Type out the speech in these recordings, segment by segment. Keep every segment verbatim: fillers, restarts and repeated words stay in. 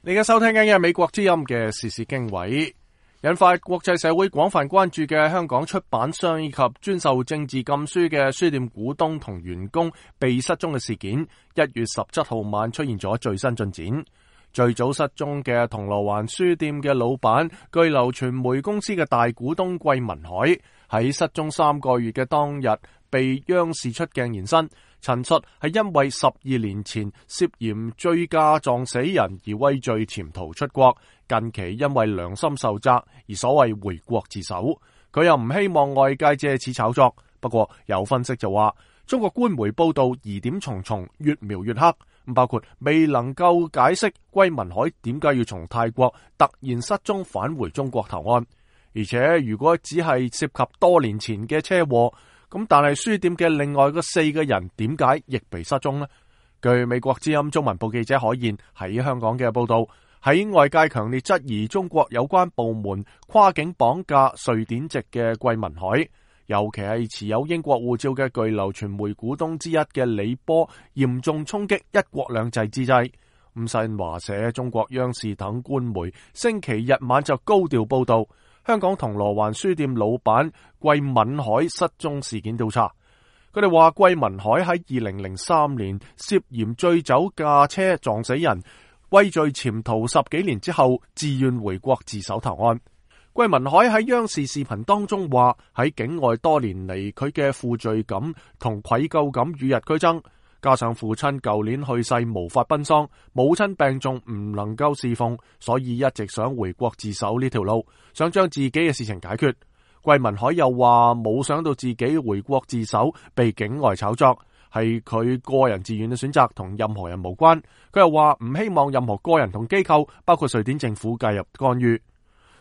你而家收聽緊嘅係美國之音嘅時事經緯，引發國際社會廣泛關注嘅香港出版商以及專受政治禁書嘅書店股東同員工被失蹤嘅事件，一月十七號晚出現咗最新進展。最早失蹤嘅銅鑼灣書店嘅老闆，據流傳媒公司嘅大股東桂民海喺失蹤三個月嘅當日被央視出鏡現身，陳述係因為十二年前涉嫌醉駕撞死人而畏罪潛逃出國，近期因為良心受責而所謂回國自首。佢又唔希望外界借此炒作，不過有分析就話，中國官媒報道疑點重重，越描越黑，包括未能夠解釋桂民海點解要從泰國突然失蹤返回中國投案，而且如果只係涉及多年前嘅車禍，咁但係書店嘅另外嗰四個人點解亦被失蹤呢？據美國之音中文部記者海燕喺香港嘅報道，喺外界強烈質疑中國有關部門跨境綁架瑞典籍嘅桂民海，尤其係持有英國護照嘅巨流傳媒股東之一嘅李波，嚴重衝擊一國兩制之際，咁新華社、中國央視等官媒星期日晚就高調報道香港銅鑼灣書店老闆桂民海失蹤事件調查。佢哋話桂民海喺二零零三年涉嫌醉酒駕車撞死人，畏罪潛逃十幾年之後，自願回國自首投案。桂民海喺央視視頻當中話，喺境外多年嚟，佢嘅負罪感同愧疚感與日俱增，加上父親舊年去世無法奔喪，母親病重唔能夠侍奉，所以一直想回國自首呢條路，想將自己嘅事情解決。桂民海又話冇想到自己回國自首被境外炒作，係佢個人自願嘅選擇，同任何人無關。佢又話唔希望任何個人同機構，包括瑞典政府介入干預。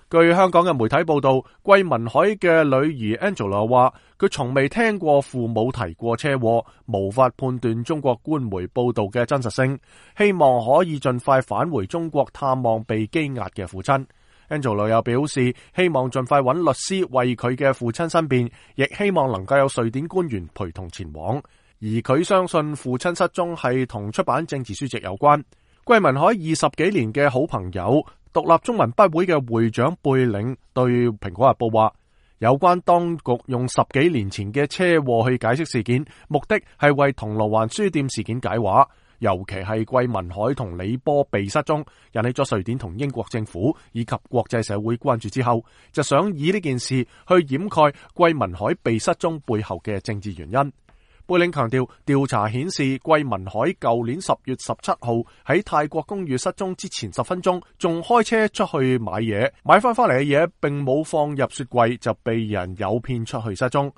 據香港嘅媒體報道，桂民海嘅女兒 Angela 話，佢從未聽過父母提過車禍，無法判斷中國官媒報道嘅真實性，希望可以盡快返回中國探望被羈押嘅父親。Angela 又表示，希望盡快揾律師為佢嘅父親申辯，亦希望能夠有瑞典官員陪同前往。而佢相信父親失蹤係同出版政治書籍有關。桂民海二十幾年嘅好朋友，獨立中文筆會嘅會長貝嶺對《蘋果日報》話，有關當局用十幾年前嘅車禍去解釋事件，目的係為銅鑼灣書店事件解話，尤其係桂民海同李波被失蹤，引起咗瑞典同英國政府以及國際社會關注之後，就想以呢件事去掩蓋桂民海被失蹤背後嘅政治原因。貝嶺強調，調查顯示桂民海舊年十月十七號喺泰國公寓失蹤之前十分鐘，仲開車出去買嘢，買翻翻嚟嘅嘢並冇放入雪櫃，就被人誘騙出去失蹤。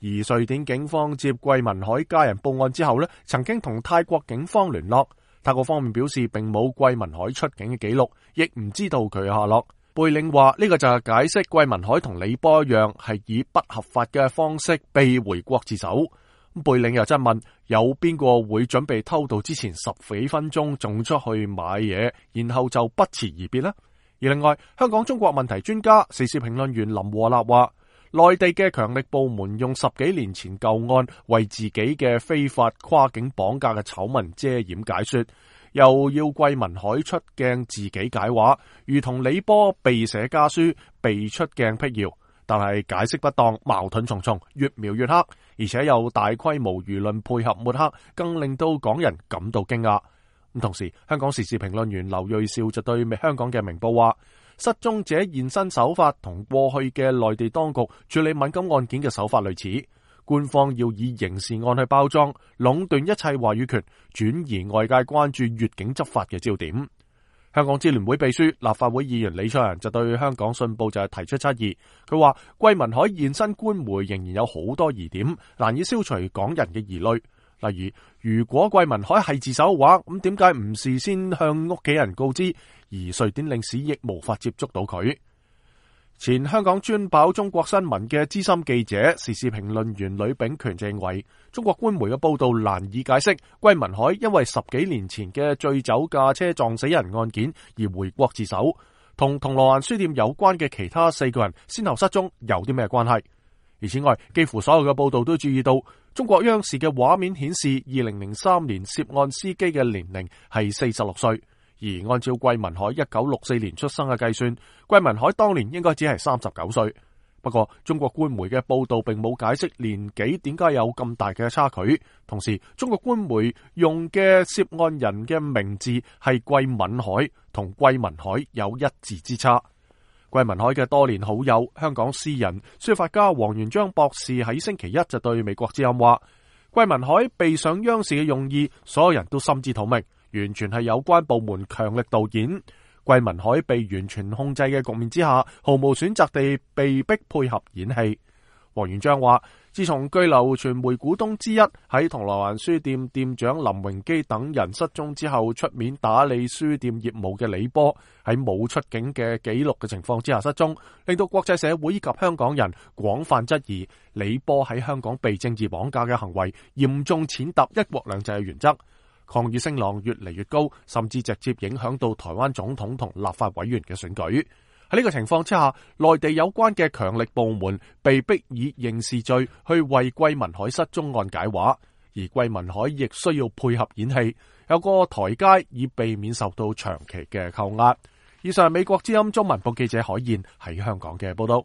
而瑞典警方接桂民海家人報案之後呢，曾經同泰國警方聯絡，泰國方面表示並冇桂民海出境嘅記錄，亦唔知道佢嘅下落。貝嶺話呢個就係解釋桂民海同李波一樣，係以不合法嘅方式被回國自首。貝嶺又質問，有邊個會準備偷渡之前十幾分鐘仲出去買嘢，然後就不辭而別呢？而另外，香港中國問題專家、時事評論員林和立話，內地嘅強力部門用十幾年前舊案為自己嘅非法跨境綁架嘅醜聞遮掩解說，又要桂民海出鏡自己解話，如同李波被寫家書被出鏡闢謠。但係解釋不當，矛盾重重，越描越黑，而且有大規模輿論配合抹黑，更令到港人感到驚訝。咁同時，香港時事評論員劉銳紹就對香港嘅明報話，失蹤者現身手法同過去嘅內地當局處理敏感案件嘅手法類似，官方要以刑事案去包裝，壟斷一切話語權，轉移外界關注越境執法嘅焦點。香港支聯會秘書、立法會議員李卓人就對香港信報就係提出質疑，佢話桂民海現身官媒仍然有好多疑點，難以消除港人嘅疑慮。例如，如果桂民海係自首嘅話，咁點解唔事先向屋企人告知，而瑞典領事亦無法接觸到佢？前香港專跑中國新聞嘅資深記者、時事評論員呂秉權就認為，中國官媒嘅報道難以解釋桂民海因為十幾年前嘅醉酒駕車撞死人案件而回國自首，同銅鑼灣書店有關嘅其他四個人先後失蹤有啲咩關係？而此外，幾乎所有嘅報道都注意到，中國央視嘅畫面顯示，二零零三年涉案司機嘅年齡係四十六歲。而按照桂民海一九六四年出生嘅計算，桂民海當年應該只係三十九歲。不過中國官媒嘅報道並冇解釋年紀點解有咁大嘅差距。同時，中國官媒用嘅涉案人嘅名字係桂敏海，同桂民海有一字之差。桂民海嘅多年好友香港詩人書法家黃元章博士喺星期一就對美國之音話，桂民海被上央視嘅用意，所有人都心知肚明，完全係有關部門強力導演。桂民海被完全控制嘅局面之下，毫無選擇地被逼配合演戲。黃元章話，自從居留傳媒股東之一喺銅鑼灣書店店長林榮基等人失蹤之後，出面打理書店業務嘅李波喺冇出境嘅記錄嘅情況之下失蹤，令到國際社會以及香港人廣泛質疑李波喺香港被政治綁架嘅行為，嚴重踐踏一國兩制嘅原則。抗議聲浪越嚟越高，甚至直接影響到台灣總統同立法委員嘅選舉。喺呢個情況之下，內地有關嘅強力部門被逼以刑事罪去為桂民海失蹤案解話，而桂民海亦需要配合演戲，有個台階以避免受到長期嘅扣押。以上係美國之音中文部記者海燕喺香港嘅報道。